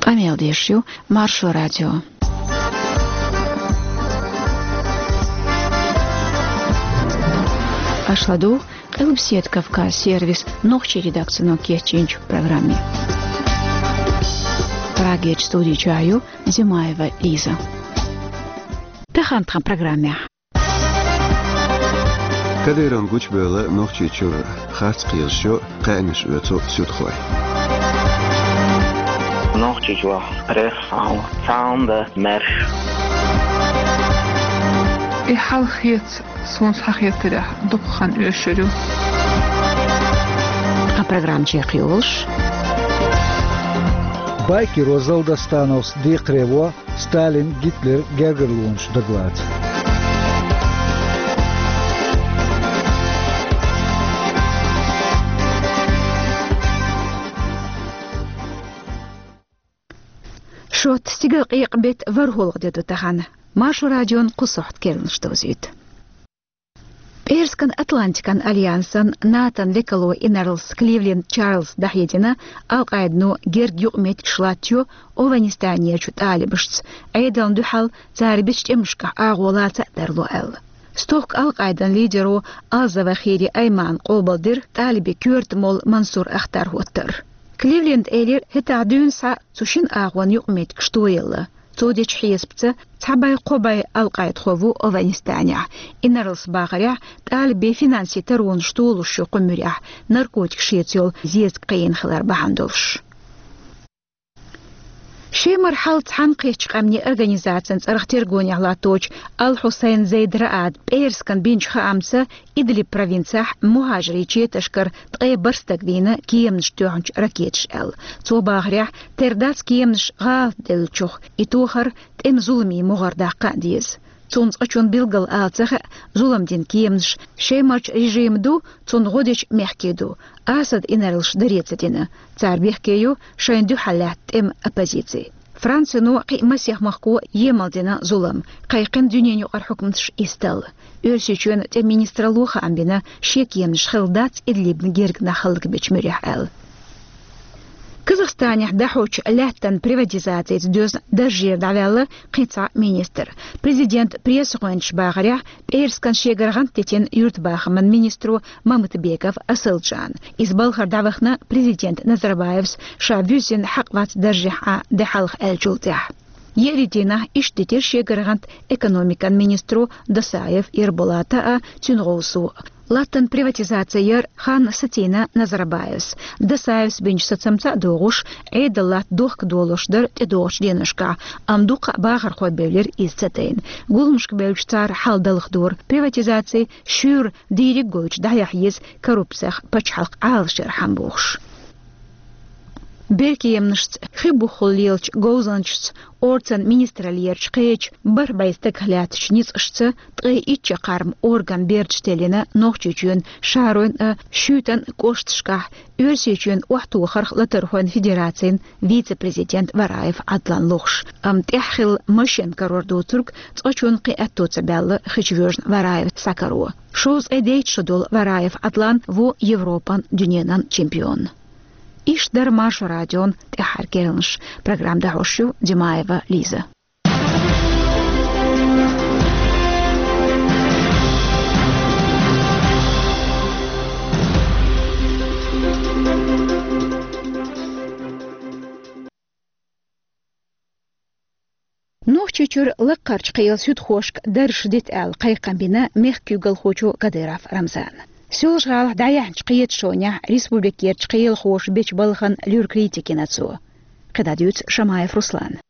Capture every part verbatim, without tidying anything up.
Къамел деш ю Маршо радио. Аша ладугӀу Къилбаседа Кавказ сервисан нохчийн редакцино кечйинчу программе. Прагерчу студи чохь ю Зимаева Лиза. Тахана тхан программехь. Кадыровн гучубевлла Нохчийчуьра харц кхелаш йо, кхаьънаш оьцу суьдхой. Нохчийчохь пресса, цхьаьна дан маьрша. И хьал хета, суна схьахетарехь, дукха хан оьшур ю. Тхан программа чекхйолуш. Байкеро Залдастановс декхаре во Сталин, Гитлер гергарлонаш дагалаца. Шот, стигалкъекъа беттан ворхӀалгӀа де ду тахана. Маршо радион кху сохьта керланаш довзуьйту. ПӀераскан Атлантикан альянсан, НАТОн лекало инарлас Кливленд Чарльза дӀахьедина, Ал-Къаидано герга юкъаметтигаш латтайо ОвхӀанистанерчу талибашца, Ӏедална дуьхьал цара бечу тӀемашкахь агӀо лаца а тарло аьлла. Стохка Ал-Къаидан лидеро Ал-Завахири Аймана къобалдира талибийн коьрта молла Мансур Ахтар хӀоттар. Кливленда элира, хӀетахь дуьйна схьа цу шина агӀонан юкъаметтигаш тоелла. Цо дечу хьесапца, цхьа бӀе-кхо бӀе Ал-Къаидахо ву ОвхӀанистанехь, инарлас бахарехь, талибийн финансийн таронаш толуш ю кху муьрехь, наркотикаш шеца йолу зезаг кхиийна хилар бахьана долуш. Шемара хьал цхьаьнакхеттачу къаьмнийн организацин цӀарах тергонехь латточу Ал-Хьусайн Зейд Раада пӀераскан бинчу хаамца, Идлиб провинцехь мухӀажарийн четашкара ткъе бархӀ стаг вийна кеманаш тоьхначу ракеташа аьлла. Цо бахарехь, тера дац кеманаш гӀалат деллачух, и тохар тӀеман зуламийн могӀара даккха а деза. Цунна цкъачунна билггал ала ца хаьа, зулам дина кеманаш Шемарчу режиман ду, цунна гӀо дечу мехкийн ду. Асадан инарлаша даре ца дина. Цара бехке ю шайна дуьхьал лаьтта тӀеман оппозици. Францино, кхин а масех махко емал дина зулам, кхайкхина дуьненан юкъара хьукматаш исталла. Оьрсийчоьнан тӀеман министралло хаам бина, шен кеманаш хилла дац Идлибна герга нах хӀаллакбечу муьрехь аьлла. Казахстанехь дӀахьочу лаьттан приватизацица доьзна даржера дӀаваьлла кхин цхьа министр. Президентан пресса-гӀоьнчаша бахарехь, пӀераскан шегара гӀант дитина юьртабахаман министро Мамытбеков Асылжан. Иза балхара дӀавахана президента Назарбаевс ша вуьззина хьакъ вац даржехь Ӏан де хьалха аьллачул тӀаьхьа. Еарин дийнахь иштта дитира шегара гӀант экономикан министро Досаев Ерболата а, цуьнан гӀовсо. Латтан приватизаци яр хан сацийна Назарбаевс. Досаевс бинчу сацамца а догӀуш, Ӏедал латта дохкадолуш дара тӀедогӀучу деношкахь, амма дуккха а бахархой бевлира иза ца тайна. Гуламашка бевлча цара хьал далхадора, приватизаци шуьйра дийриг гойтуш дӀаяхьа еза коррупцех пачхьалкх Ӏалашъярхьама бохуш. Беркеманашца, хи буххула лелачу говзанчашца, орцан министраллерчу кхечу бархӀ бӀе стагах лаьттачу ницкъашца ткъе итт чаккхарма орган бердаш теллина Нохчийчоьнан шахьаройн а, шуьйтан а кӀошташкахь, Оьрсийчоьнан охьатохарх латархойн федерацин вице-президент Вараев Ӏадлан лохуш. Амма тӀаьхьа хилла машен карор доцург цкъачунна кхин аьтто ца баьлла хи чу воьжна Вараев схьакаро. Шовзткъе дейтта шо долу Вараев Ӏадлан ву Европан, дуьненан чемпион. Иштта дара Маршо радион тӀаьххьара керланаш. Программа дӀахьош ю Димаева Лиза. Нохчийчуьра лакхарчу кхелан суьдхошка дарж дита аьлла кхайкхам бина мехкан куьйгалхочо Кадыров Рамзана. Соьлжа-ГӀалахь дӀаяьхьначу кхеташонехь республикерчу кхелахоша бечу балхана луьра критика йина цо. КхидӀа дуьйцу Шамаев Руслана.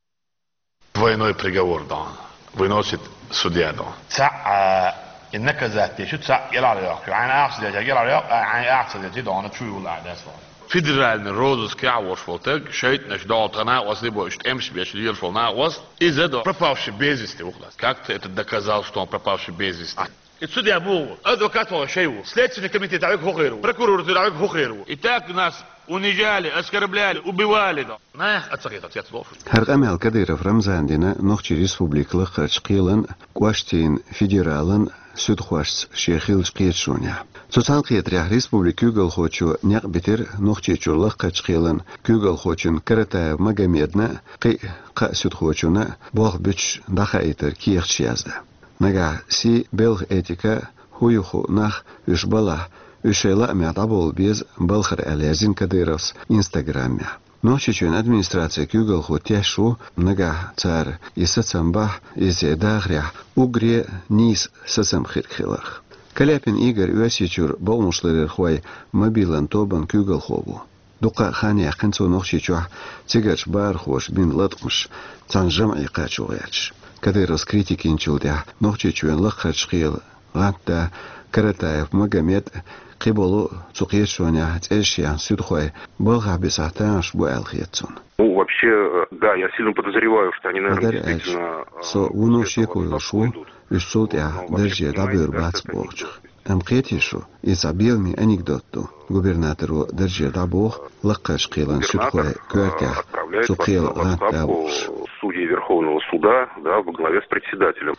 Двойной приговор дан выносит судья дан. Цхьаъ, а, и наказать деш ю, цхьаъ кӀелхьарйоккхуш ю. Хьайна ахча деча кӀелхьарйоккху, а, хьайн ахча дечи дан чу юла а дас ван. Федеральный розыск яхь волуш волу таг шайтӀанаш долу тхан накъост либо уьш тӀемаш беш лелаш волу накъост, иза до пропавший без вести ву-кх. Как ты это доказал, что он пропавший без вести? И судья боху, адвокат ван шай ву, следственный комитет дӀавига хӀокхуьйр ву, прокуратура дӀавига хӀокхуьйр ву. И так нас унижали, оскорбляли, убивали. Нах а ца хетар цец лофу. ХӀара къамел Кадыров Рамзана дина Нохчийн Республикан лакхарчу кхелан кӀоштийн федералан суьдхошца шен хиллача кхеташонехь. Цу цхьаьнакхетарехь республикан куьйгалхочо некъ битира Нохчийчуьра Лаххарчу кхелан куьйгалхочун Каратаев Магомедна а, кхин а кхаа суьдхочунна а болх буьтуш дӀахаийтар кехаташ яздан. Нагахь сий, белхан этика, хӀун ю хууш нах, уьш балахь, уьш шайн лаамехь дӀабовла беза балхара аьлла, яздина Кадыровс Инстаграмехь. Нохчийчоьнан администрацин куьйгалхо тешаш ву, нагахь цара и сацам бахь, иза церан дахарехь уггаре а нийса сацам хир хиларх. Каляпин Игорь Оьрсийчуьра бакъонашларъярхойн мобилан тобан куьйгалхо ву. Дуккха а хан яьккхина цо Нохчийчохь цигарчу бахархоша бина латкъамаш цхьана жамӀе кхачо гӀерташ. Кадыровс критика йинчул тӀаьхьа Нохчийчоьнан Лаххарчу кхелан гӀантда Каратаев Магомед а, кхиболу а цу кхеташонехь цӀераш яьхна суьдхой балхахь бисахь тамаш бу аьлла хета цунна. Ну, вообще, э, да, я сильно подозреваю, что они, наверное, хӀара аьлча, действительно, э, со вуно шеко йолуш ву, уьш цул тӀаьхьа даржера дӀабевр бац бохучух. Амма кхетий шу, иза цхьа беламе анекдот ду. Губернаторо даржера дӀабоху Лакхарчу кхелан суьдхойн коьртехь цу кхелан гӀантда вахаш. Судьи Верховного суда, да, во главе с председателем.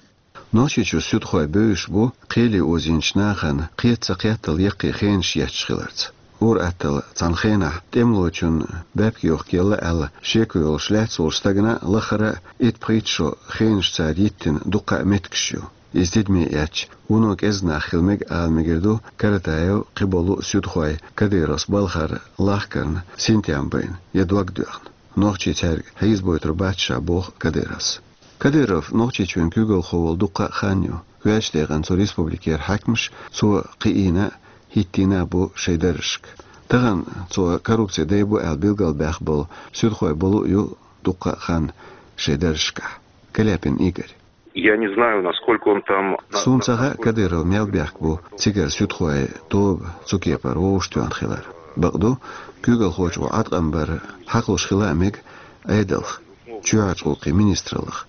Нохчийчуьра суьдхой бевзаш бу кхеле озийначу нахана кхета ца кхеттал яккхий хенаш етташ хиларца. Ур-атталла цхьана хенахь тӀемалочунна баьпкех йохкаелла аьлла шеко йолуш лаьцна волчу стагана лахара а итт-пхийтта шо хенаш цара йиттина дуккха а меттигаш ю. Иза тидаме эцча, вуно кӀезиг нах хила мега ала мегар ду Каратаев, кхиболу а суьдхой Кадыровс балхара лахкарна синтем байна я дог доьхна. Нохчий цаьрга хьийзабойтур бац ша, боху Кадыровс. Кадыров Нохчийчоьнан куьйгалхо волу дуккха а хан ю. Коьртачу декъана цу республикера хьаькамаш цо кхиийна а, хӀиттийна а бу шайн даржашка. Тахана цо коррупцин дай бу аьлла билгалбаьхна болу суьдхой болу а ю дуккха а хан шайн даржашкахь. Каляпин Игорь. Я не знаю, насколько он там, на-, Суна ца хаьа, насколько Кадыров мел бехк бу цигара суьдхойн тоба цу кепара вовшахтоьхна хилар. Бакъду, куьйгалхочо Ӏаткъам бар хьакхалуш хила а мега Ӏедалх, чоьхьарчу гӀуллакхийн министраллах,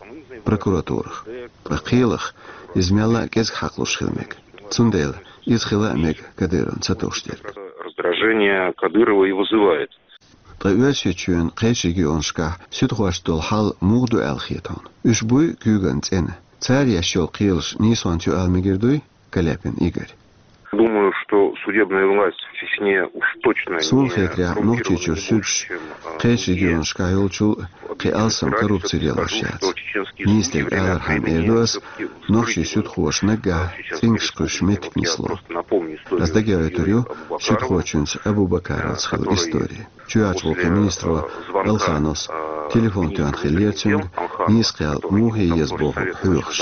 прокуратурах. Ткъа кхелах иза мелла а кӀезиг хьакхалуш хила мега. Цундела иза хила а мега Кадыровна ца товш дерг. Раздражение Кадырова и вызывает. Ткъа Оьрсийчоьнан кхечу регионашкахь суьдхошца долу хьал муха ду аьлла хета хьуна? Уьш буй куьйган цӀена? Цара еш йолу кхелаш нийсонца ю ала мегар дуй, Каляпин Игорь? Думаю, что судебная власть в Чечне уж точно не коррумпированнее больше, чем, а, в других регионах. Суна хетарехь, Нохчийчуьра суьдаш кхечу регионашкахь йолчул а кхин алсам коррупци лелош яц. Нийса дерг алархьама эр ду ас, нохчийн суьдхоша наггахь цӀингаш кхуьссуш меттиг нисло. Ас дагахь оьйтур ю суьдхочуьнца Абу-Бакаровца хилла истори. Чоьхьарчу гӀуллакхийн министро Алхановс телефон тоьхна хиллера цуьнга, нийса кхел муха еза бохург хьоьхуш.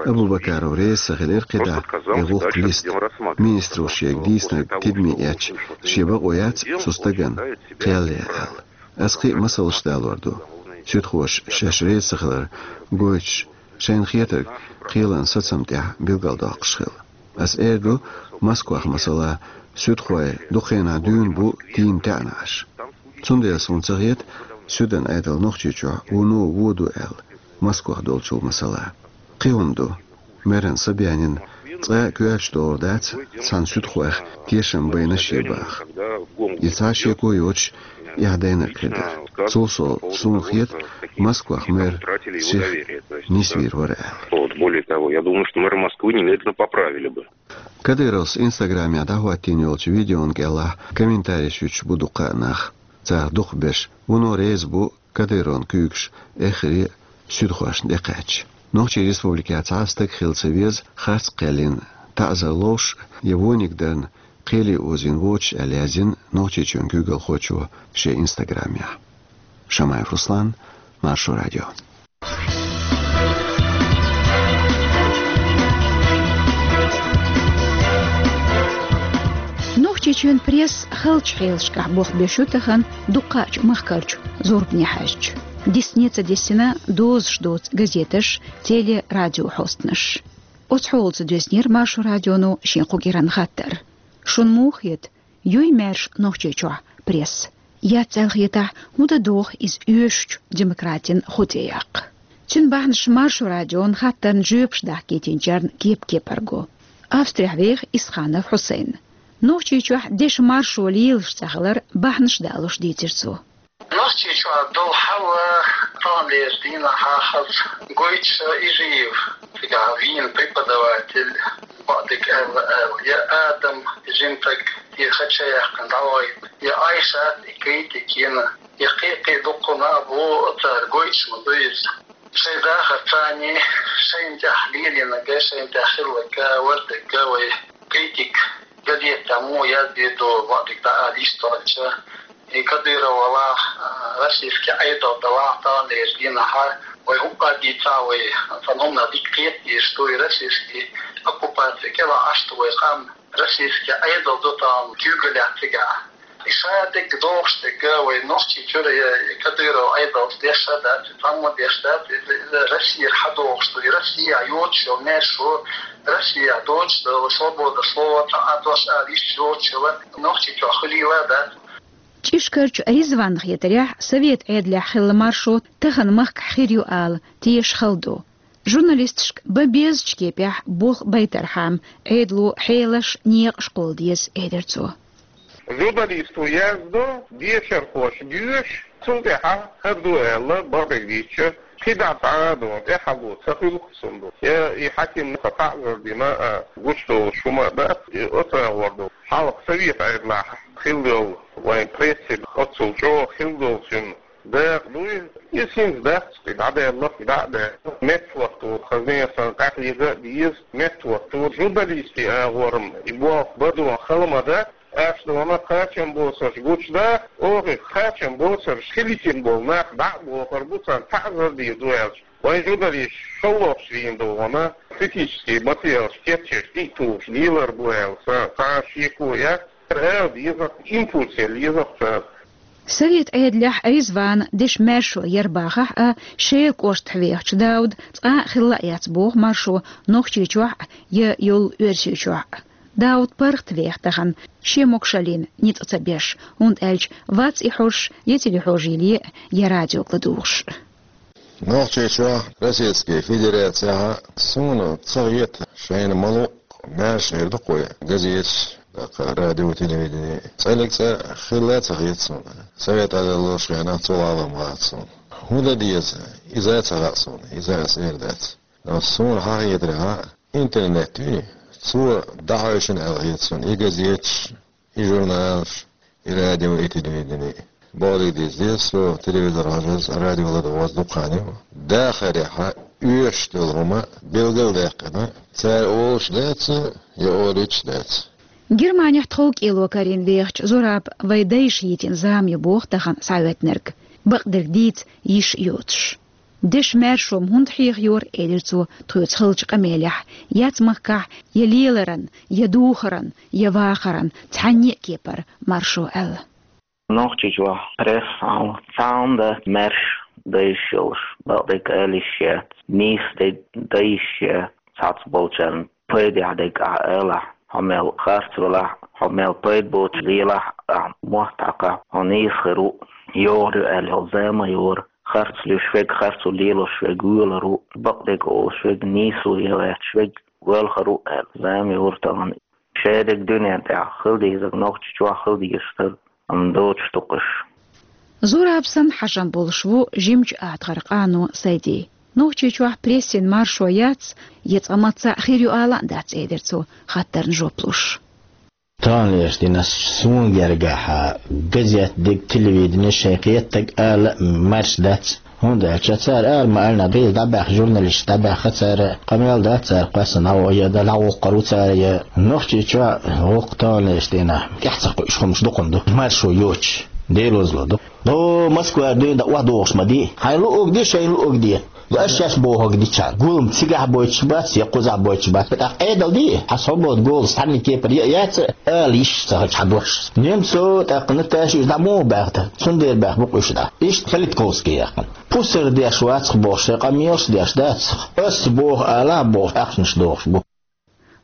Абу-Бакаров реза ца хилира кхидӀа и гӀуллакх листа. Министро шега дийцинарг тидаме эцча, шен бакъо яц цу стагана кхел ян аьлла. Ас кхин а масалш далор ду. Суьдхоша шаьш реза ца хилар гойтуш, шайна хетарг кхелан сацам тӀехь билгалдоккхуш хила. Ас эр ду, Москвахь, масала, суьдхой дукха хенахь дуьйна бу тийна таьӀнаш. Цундела суна ца хета, суьдан Ӏедал Нохчийчохь вуно вон ду аьлла, Москвахь долчул, масала. Кхин хӀума ду. Мэран Собянина цкъа а коьртачу догӀур дац цхьана суьдхойх тешам байна шен баха. И цхьа шеко йоцуш, эхь дайнарг хир дара. Цул сов, суна хета, Москвахь мэр сиха нисвийр вара аьлла. Вот, более того, я думаю, что мэра Москвы немедленно поправили бы. Кадыровс Инстаграмехь дӀахӀоттийна йолчу видеон кӀелахь комментареш юьтуш бу дуккха а нах. Царах дукхахберш вуно реза бу Кадыровн куьйгаш эххаре а суьдхошна тӀекхаьчча. Нохчийн республикехь цхьа а стаг хила ца веза харц кхел йина, таӀзар ловш я вониг дарна кхеле озийна воцуш аьлла, яздина Нохчийчоьнан куьйгалхочо шен Инстаграмехь. Шамаев Руслан, Маршо радио. Нохчийчоьнан пресса халчу хьелашкахь болх беш ю тахана дуккхачу махкарчу зорбане хьаьжча. Дисне а ца дисина дозуш доцу газеташ, теле-, радиохьостанаш. Оцу хьолаца доьзнера Маршо радионо шен кху кӀиранан хаттар. Шуна муха хета, юй маьрша Нохчийчохь пресса? Яц аьлла хетахь, хӀун дан доху иза оьшучу демократин хӀу тӀе яккха? Цуьнан бахьанаш Маршо радион хаттарна жоьпаш дахкийтинчарна кеп-кепара го. Австрехь веха Исханов Хьусайн. Нохчийчохь дешан маршо лелаш цахилар бахьанаш далуш дийцира цо. Нохчийчохь долу хьал таханлерчу дийнахь хаза гойтуш Ижиев, цигахь вийна преподаватель, бакъдерг аьлла, аьлла, я Адам, жимтаг, и хача яьккхина дӀавахийта, я Айшат, и критик йина, я кхин-кхин дуккха а бу, цара гойтуш ма ду иза. Шайн дахар царний, шайна тӀехь лелийнарг, шайна тӀехь хилларг, вардерг вай критик газетехь муха яздийр ду, бакъдерг дӀаала йиш долчу. И Кадыров валахь, а, российский Ӏедал далахь, таханлерчу дийнахь вай хӀуъа а дийцахь, вай цхьана хӀуманах дика кхета дезаш ду, и российский оккупаци кӀелахь Ӏаш ду вай къам, российский Ӏедал ду тахана куьйгаллехь цигахь. И ша дерг дохуш дерг вай Нохчийчуьра я Кадыров Ӏедалца деш а дац, цхьамма деш дац, иза, иза Россера хьадохуш ду, и Россехь йоцуш йолу маьршо, Россехь доцуш долу свобода слова, цхьа а дош ала йиш йоцуш йолу Нохчийчохь хуьлийла а дац. ЧӀишкарчу Ризванна хетарехь, совет Ӏедалехь хилла маршо тахана махкахь хир ю ала, теша хала ду. Журналисташка бан безачу кепехь болх байтархьама, Ӏедало хьелаш, некъаш кхолла деза, элира цо. Журналисто яздо, дешархоша доьшу, цул тӀаьхьа хӀара ду аьлла, бакъдерг дийцича, кхидӀа цхьа а ду, тӀаьхьало ца хуьлу цунна ду. Я и хьаькам ца таӀзар дина а, гучудолуш хӀума а дац, и оцу агӀор ду. Хьалха совет Ӏедалахь хилла йолу вайн прессе оццул чӀогӀа хилла долу цуьнан дакъа дуй, иза хӀинца дац, и дӀадаьлла, и дӀа а даьлла. МеттахӀотто хазне сан къахьега а деза, меттахӀотто журналистийн агӀор-м и болх бан дон хала ма дац, аш дона кхачам боцурш гучудаха, оха кхачам боцурш хилийтина болу нах дӀа а бохур бу, царна таӀзар дийр ду аьлча. Вайн журналисташ шолгӀачу дийнахь догӀана критический материалаш кечъеш, тӀе а тухуш лелар бу аьлла, сан цхьа а шеко яц. Ара деза, импульс ян леза цара. Совет Ӏедалехь Ризвана дешан маьршо яр бахахь а, Шелан кӀоштахь вехачу Дауда цкъа а хилла а яц боху маршо Нохчийчохь а, я йолу Оьрсийчохь а. Дауда паргӀат веха тахана, шен могушаллина ницкъ ца беш, хӀунда аьлча вац и хьожуш я телехьожийле а, я радиога ладугӀуш а. Нохчийчохь, Российский Федерацехь а суна ца хета шайна ма-луъу маьрша хир ду-кх вай газеташ, тӀаккха радио, телевидение. ЦӀаьллиг цкъа хилла а ца хета суна. Совет Ӏедал долчу хенахь цул гӀалгӀа ма хаьа суна. ХӀун дан деза, иза а ца хаьа суна, иза ас эр дац. Но суна хьан хетарехь а, интернет вий, цо дӀахьоьшуш аьлла хета суна и газеташ, и журналаш, и радио, и телевидение. Бакъдерг дийца деза, со телевизор хьажаза, радио ладогӀаза дукха хан ю. Дахарехь а оьшуш долу хӀума билгалдаьккхина, цара олуш дац, я олуьйтуш дац. Германехь тхов кӀело карийна вехачу Зураба вайн дайша йитина зама ю боху тахана схьаоьттинарг, бакъдерг дийца йиш йоцуш. Дешан маьршо-м хӀунда хьехайора, элира цо, тхоьца хиллачу къамелехь, яц махкахь я леларан, я духаран, я вахаран цхьанне а кепара маршо аьлла. Нохчийчохь пресса хьалха цхьа а хӀума дац маьрша дан йиш йолуш, бакъдерг ала йиш яц, нийса дерг дан йиш яц, цхьацца болчарна пайдехь дерг ахь алахь, хьо мел харц велахь, хьо мел пайда боцуш лелахь, ахь мотт хьакхахь, хьо нийса хир ву, йогӀур ю аьлла йолу зама а йора. Харц луьйш верг, харцо лелош верг воьлур ву, бакъдерг олуш верг, нийсо ян гӀерташ верг воьлхур ву аьлла зама йора тахана. Шадерг дуьнен тӀехь хила дезарг, Нохчийчохь хила дезаш дерг, амма доцуш ду-кх уьш. Зураб санна хьажам болуш ву жимачу атагӀара къано Сайди. Нохчийчохь прессин маршо яц, я цкъа мацца а хир ю ала а дац, элира цо, хаттарна жоп луш. Таханлерчу дийнахь суна гергахь газет дерг, телевидение шайн кхеттаг ала а маьрша дац. ХӀунда аьлча цара ара ма-аллинехь, дӀабаьхна журналисташ дӀабаьхна, цара къамел дац, цара кхоьссина дӀагӀо-, я дӀагӀовккхур ву цара, я Нохчийчохь воккха таханлерчу дийнахь тӀаьхьа ца кхуьуш хӀумнаш дукха ду, маршо йоцуш, Делозло ду. До Москва дуьйна дан охьадогӀуш ма ди. Хьайн луъург де, шайна луъург де. Аша шаьш бохург дича, гулам цигахь бойтуш бац, я кхузахь бойтуш бац. ТӀаккха Ӏедал де, хьан свобода голос цхьанна кепара я а яц, ала йиш ца хилча хьан дош. Немцов, тӀаккха Наташа уьш дӀа муха баьхна? Цундела баьхна бу-кх уьш дӀа. Иштта Политковский яьккхина. Пусар деш вац-кх бохуш, шайн къамелаш деш дац-кх. Ас боху алахь бохуш, ахчанаш дохуш бу.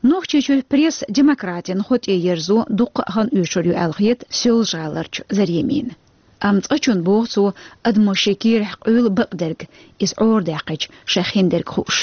Нохчийчуьра пресса демократин хӀу тӀе ерзо дуккха а хан оьшур ю аьлла хета Соьлжа-ГӀаларчу Заремина. Амма цкъачунна, боху цо, адамо шен кийрахь къуьйлу бакъдерг, иза Ӏорадаьккхича шайх хиндерг хууш.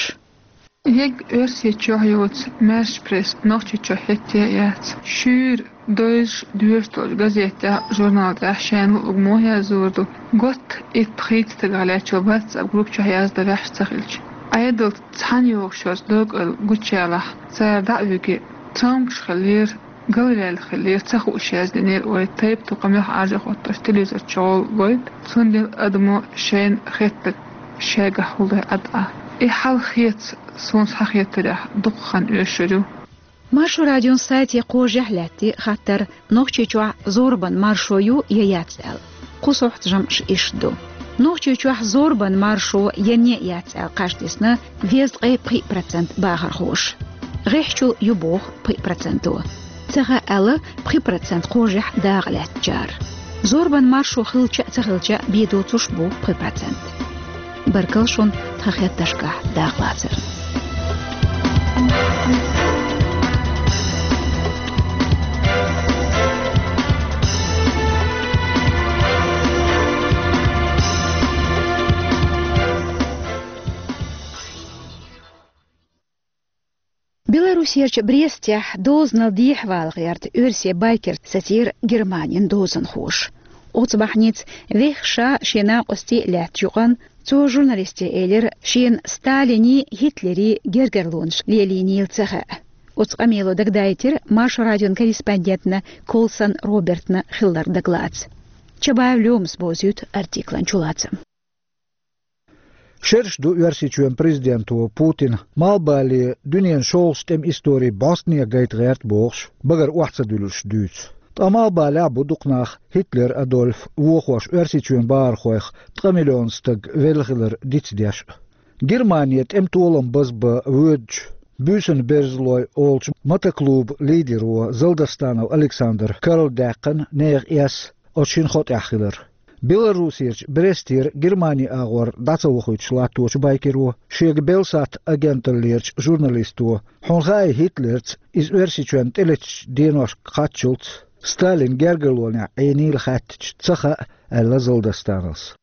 Ег Оьрсийчохь йоцу маьрша пресс Нохчийчохь хӀетте а яц. Шуьйра дойзуш, доьшуш долчу газетехь, журнал тӀехь шайна луъург муха язйийр ду? Готта итт-пхийтта стагах лаьттачу WhatsApp группа чохь яздан ваьхьаш ца хилча. Ӏедалца цхьаьна йогӀуш йоцу докъал гучуялахь, цара дӀа а вигий, цомгуш хиллера, галваьлла хиллера, ца хууш яздинера, ой, тайп-тукхам юха Ӏаржа а хӀоттош, телевизор чу гӀолла гойту, цундела адамо шайна хеттарг шайгахь хӀуллой Ӏад Ӏа. И хьал хета суна схьахетарехь дукха хан оьшур ю. Маршо радион сайте кхожехь лаьттий хаттар: Нохчийчохь зорбан маршо ю я яц аьлла. Кху сохьтан жамӀаш иштта ду. Нохчийчохь зорбан маршо я не яц аьлла кхаж дисна везткъе пхиъ процент бахархоша. ГӀеххьачул ю боху пхиъ проценто. Ца хаьа аьлла пхи процент кхожехь дакъа лаьттачара. Зорбан маршо хилча а, ца хилча а бен доцурш бу пхи процент. Баркалла шуна тхан хеттаршкахь дакъалацарна. Беларусерчу Брестехь дозанал дехьавала гӀерта оьрсийн байкерш сацийра Германин дозанхоша. Оцу бахьаница вехха ша шен накъостий а лаьттачу юкъанна цо журналисташка элира, шена Сталинийн, Гитлерийн гергарлонаш лелийнийла ца хаьа. Оцу къамело дагадайтира Маршо радион корреспондентна Колсон Робертна хилларг дагалаца. Чабаев Лёмас бовзуьйту артиклан чулацам. Шераш ду Оьрсийчоьнан президенто Путина, малхбале дуьненан шолгӀачу тӀеман историн бӀостанехьа гайта гӀерта бохуш, багара охьа ца дуьллуш дуьйцу. Ткъа малхбалехь а бу дукха нах, Гитлер Адольф вохош, Оьрсийчоьнан бахархойх ткъа миллион стаг велла хилар дицдеш а. Германе тӀеман толам базбан воьдучу, «Буьйсанан берзалой» олучу мотоклубан лидеро Залдостанов Александр карладаьккхина нехан эс оцу шина хо тӀехь хилар. Беларусерчу Брестера Германин агӀор дӀа ца вохуьйтуш латточу байкеро шега белсатт агенталлерчу журналисто: «Хьуна хаьий, Гитлерца иза Оьрсийчоьнна тӀелеттачу деношка кхаччалц Сталин гергарлонехь Ӏийнийла хаьттича ца хаьа», — аьлла Залдостановс.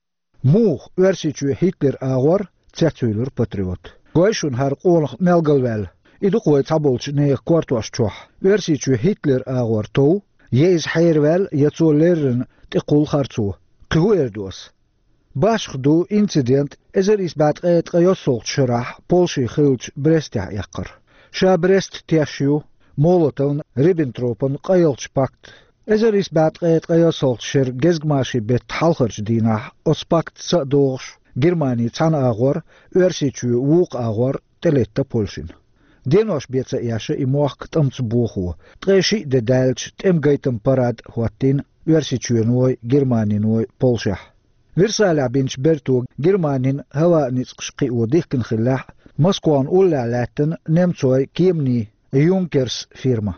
«Муха, Оьрсийчоь Гитлер агӀор?» — цецвуьйлура патриот. «Гой шуна хӀара къонах мел галваьлла. И ду-кх вай цхьаболчу нехан кортош чохь. Оьрсийчоь Гитлер агӀор тов, я иза хьераваьлла, я цо леррина тӀекхуллу харцо. Кхин хӀун эр ду ас?» Башха ду инцидент эзар исс бӀе ткъе ткъайоьссалгӀачу шарахь Польшин хиллачу Брестехь эккхар. Ша Брест теш ю Молотовн, Риббентропан къайлахчу пакт. Эзар исс бӀе ткъе ткъайоьссалгӀачу шеран гезгмашин беттан хьалхарчу дийнахь оцу пактаца а догӀуш, Германи цхьана агӀор, Оьрсийчоь вукху агӀор тӀелетта Польшина. Денош бен ца эшна и мохк тӀамца бохо, ткъе шиъ де даьлча тӀеман гайтаман парад а хӀоттийна Оьрсийчоьной, Германиной Польшехь. Версалехь бинчу берто Германин хӀаваан ницкъаш кхио дихкина хиллехь а, Москван уллехь лаьттина немцойн кеманийн «Юнкерс» фирма.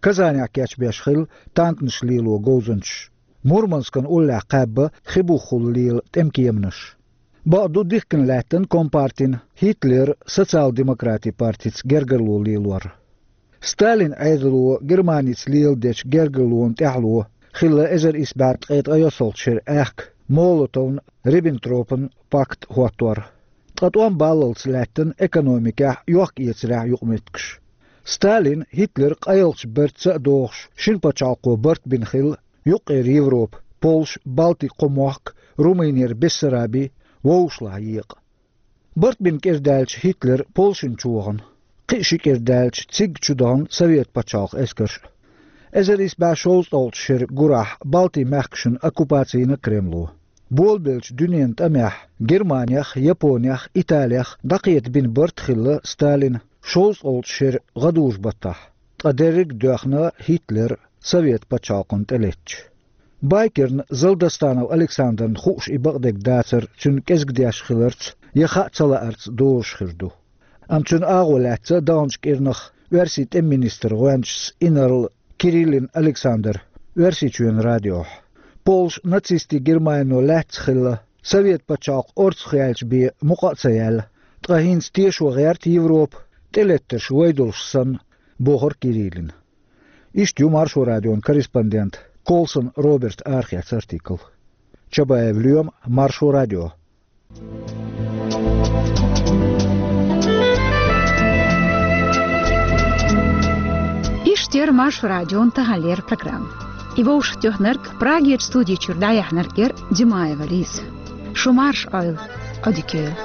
Казанехь кечбеш хилла танканаш лело говзанчаш. Мурманскан уллехь кхаьбна хи бухахула лела тӀемкеманаш. Бакъду, дихкина лаьттина компартин, Гитлеран социал-демократийн партица гергарло лелор. Сталин Ӏедало Германица леладечу гергарлонан тӀаьхьало хилла эзар исс бӀе ткъе ткъайоьссалгӀачу шеран аьхка Молотовн, Риббентропан пакт хӀоттор. Ткъа тӀом баллалц лаьттина экономикехь, йохк-эцарехь юкъаметтигаш. Сталин, Гитлер къайлахчу бартаца а догӀуш, шина пачхьалкхо барт бина хилла юккъера Европа, Польша, Балтин кхо мохк, Румынера Бессараби, вовшашлахь екъа. Барт бина кӀира даьлча Гитлер Польшина чу вахана, кхин а ши кӀира даьлча цига чу дахана Совет пачхьалкхан эскарш а. Эзар исс бӀе шовзткъалгӀачу шеран гурахь Балтин мехкашна оккупаци йина Кремло. Болабеллачу дуьненан тӀамехь Германех, Японех, Италех дӀакхета бина барт хилла Сталина шовзткъалгӀачу шеран гӀадужу-баттахь, ткъа дерриг а доьхна Гитлера Совет пачхьалкхана тӀелеттача. Байкерна Залдостанов Александрна хууш и бакъдерг дацар цуьнан кӀезиг деш хиларца я хаа ца лаарца дозуш хир ду. Амма цуьнан агӀо лаьцна даханчу кӀирнах оьрсийн тӀеман министран гӀоьнчас инарла Кириллин Александр Оьрсийчоьнан радиохь. Полша нацистийн Германино лаьцна хилла, Совет пачхьалкх орцах яьлча бен мукъа а ца яьлла, ткъа хӀинца тешо гӀерта Европа, тӀелеттарш вай долуш санна, бохура Кириллина. Иштта ю Маршо радион корреспондент Колсон Роберт арахецна артикл. Чабаев Лоьма, Маршо радио. Яр Маршо радион таханлера программа. И вовшахтоьхнарг, Прагерчу студи чуьра дӀаяьхьнарг яр Димаева Лиза. Шу марша Ӏойла, Ӏодика йойла.